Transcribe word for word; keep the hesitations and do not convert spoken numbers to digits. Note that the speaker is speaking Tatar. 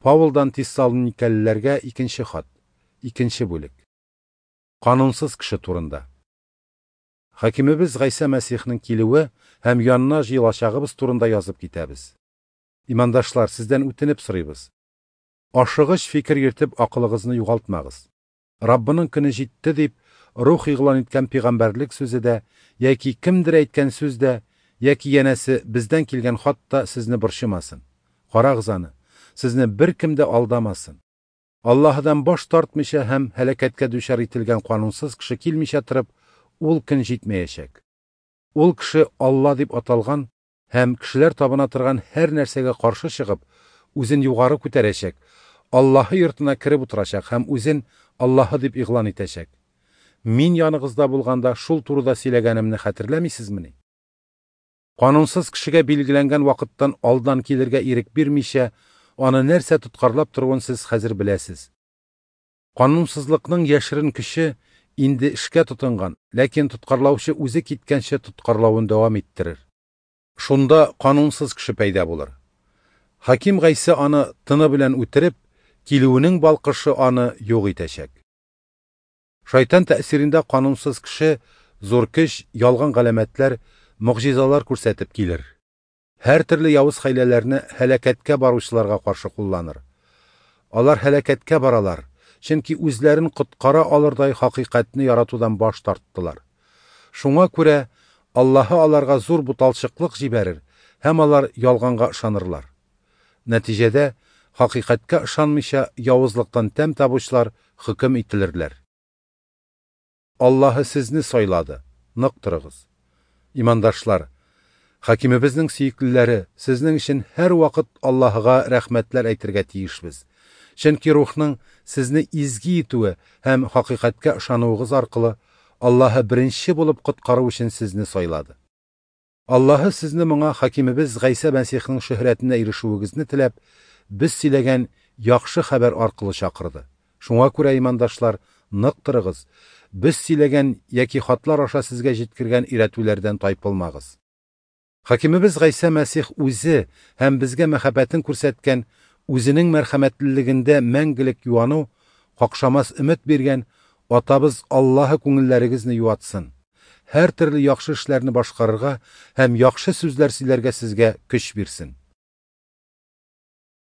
Паулдан Тессалоникалыларга икенче хат, икенче бүлек. Канунсыз кеше турында. Хакимебез Гайсә Мәсихнең килүе һәм янына җыелачагыбыз турында язып китәбез. Имандашлар, сездән үтенеп сорыйбыз. Ашыгыч фикер йөртеп акылыгызны югалтмагыз. Раббының көне җитте дип, рух игълан иткән пәйгамбәрлек сүзе дә, яки кемдер әйткән сүз дә, яки янәсе бездән килгән хат та сезне борчымасын. Карагыз аны, сезне беркем дә алдамасын. Аллаһыдан баш тартмыйча һәм һәлакәткә дучар ителгән канунсыз кеше килмичә торып, ул көн җитмәячәк. Ул кеше Алла дип аталган һәм кешеләр табына торган һәр нәрсәгә каршы чыгып, үзен югары күтәрәчәк, Аллаһы йортына кереп утырачак һәм үзен Аллаһы дип игълан итәчәк. Мин яныгызда булганда шул турыда сөйләгәнемне хәтерләмисезмени? Канунсыз кешегә билгеләнгән вакыттан алдан килергә ирек бирмичә, аны нәрсә тоткарлап торуын сез хәзер беләсез. Канунсызлыкның яшерен көче инде эшкә тотынган, ләкин тоткарлаучы үзе киткәнче тоткарлавын дәвам иттерер. Шунда канунсыз кеше пәйда булыр. Хаким Гайсә аны тыны белән үтереп, килүенең балкышы аны юк итәчәк. Шайтан тәэсирендә канунсыз кеше зур көч, ялган галәмәтләр, могҗизалар күрсәтеп килер. Һәр төрле явыз хәйләләрне һәлакәткә баручыларга каршы кулланыр. Алар һәлакәткә баралар, чөнки үзләрен коткара алырдай хакыйкатьне яратудан баш тарттылар. Шуңа күрә Аллаһы аларга зур буталчыклык җибәрер һәм алар ялганга ышанырлар. Нәтиҗәдә хакыйкатькә ышанмыйча явызлыктан тәм табучылар хөкем ителерләр. Аллаһы сезне сайлады, нык торыгыз. Имандашлар, хакимебезнең сөеклеләре, сезнең өчен һәр вакыт Аллаһыга рәхмәтләр әйтергә тиешбез. Чөнки рухның сезне изге итүе һәм хакыйкатькә ышануыгыз аркылы Аллаһы беренче булып коткару өчен сезне сайлады. Аллаһы сезне моңа хакимебез Гайсә Мәсихнең шөһрәтенә ирешүегезне теләп, без сөйләгән яхшы хәбәр аркылы чакырды. Шуңа күрә, имандашлар, нык торыгыз, без сөйләгән яки хатлар аша сезгә җиткергән өйрәтүләрдән тайпылмагыз. Хакимебез Гайсә Мәсих үзе һәм безгә мәхәббәтен күрсәткән, үзенең мәрхәмәтлелегендә мәңгелек юану, какшамас өмет биргән Атабыз Аллаһы күңелләрегезне юатсын. Һәр төрле яхшы эшләрне башкарырга һәм яхшы сүзләр сөйләргә сезгә көч бирсен.